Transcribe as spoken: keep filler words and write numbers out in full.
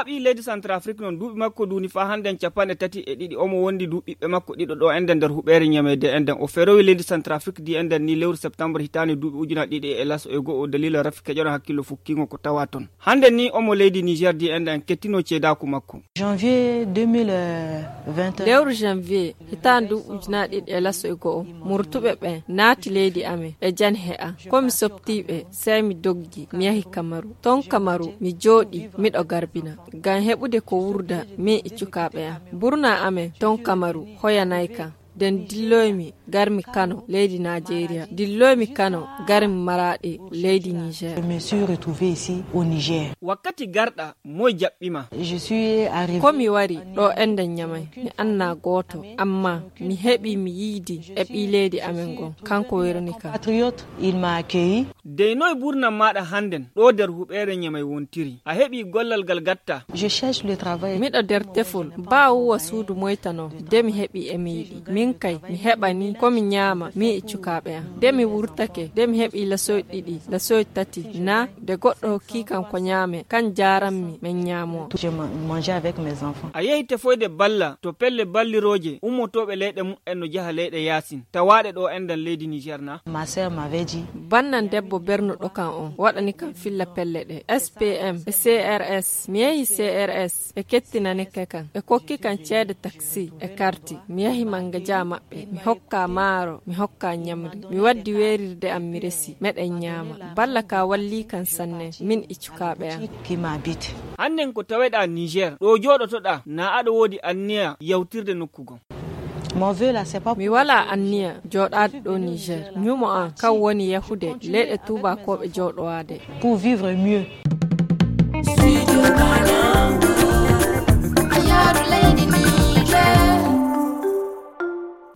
Ɓii leydi Centrafrique noon, duuɓi makko duuni faa hannden capanɗe tati e ɗiɗi. Omo wondi du ɓiɓɓe makko ɗiɗo ɗo enɗen nder huɓeere Ñamey de enɗen. O ferowi leydi Centrafrique di enɗen ni lewru septembre hitaande duuɓi ujunaaɗe ɗiɗi e laso e go'o daliila rafi keƴono hakkillo fukkiingo ko tawa toon. Hannden ni omo leydi Niger di enɗen kettino ceedaaku makko. Janvier deux mille vingt et un. Lewru janvier hitaande duuɓi ujunaaɗe ɗiɗi e laso e go'o, murtuɓe ɓen naati leydi amen e jan he'a. Ko mi soptii ɓe, sey mi doggi, mi yahi Kamaru. Ton Kamaru, mi jooɗii, miɗo garbina. Ngam heɓude ko wuurda, min e cukaaɓe am. Burnaa amen ton Kamaru hoyanay kam. Den dilloymi, garmi Kano, leydi Naajeeriya. Dilloymi Kano, garmi Maraaɗi, leydi Niger. Je me suis retrouvé ici au Niger. Wakkati garɗa, moy jaɓɓi ma? Je suis arrivé. Ko mi wari ɗo enɗen Ñamey, mi annaa gooto, ammaa mi heɓii mi yiidi e ɓii leydi amen ngon, kanko werni kam. Patriote, il m'a accueilli. Dey noy burnam maaɗa hannden ɗo nder huɓeere Ñamey wontiri? A heɓii gollal ngal gatta? Je cherche le travail. Miɗo nder tefol, baa wuwa suudu moyta non, de mi heɓii e mi yiɗi. Min kay, mi heɓanii ko mi ñaama, min e cukaaɓe am. De mi wurtake, de mi heɓii lasoy ɗiɗi, lasoy tati, naa de goɗɗo hokkii kam ko ñaame, kan jaarammi, men ñaamoo. Je ma-, mangeais avec mes enfants. A yehi tefoyde balla to pelle ballirooje ummotooɓe leyɗe mum en no jaha leyɗe yaasin, tawaaɗe ɗo enɗen leydi Niger naa? Ma sœur m'avait dit. Bannan debbo bernuɗo kam on, waɗani kam filla pelle ɗe. S P M e C R S. Mi yehi C R S, ɓe kettinani ke kam. Ɓe kokki kam ceede taksi e karti. Mi yahi manga jaa maɓɓe. Mi hokka maaro, mi hokka ñamri. Mi waddi weerirde am mi resi. Meɗen ñaama. Balla ka wallii kam sanne, min e cukaaɓe am. Qui m'habite. Hannden ko taweɗaa Niger, ɗo jooɗotoɗaa, naa aɗa woodi anniya yawtirde nokku goo? Mon vœu là, c'est pas. Mi walaa anniya jooɗaade ɗo Niger. Ñumo am, kan woni yahude leyɗe tuubaakooɓe jooɗowaade. Pour vivre mieux.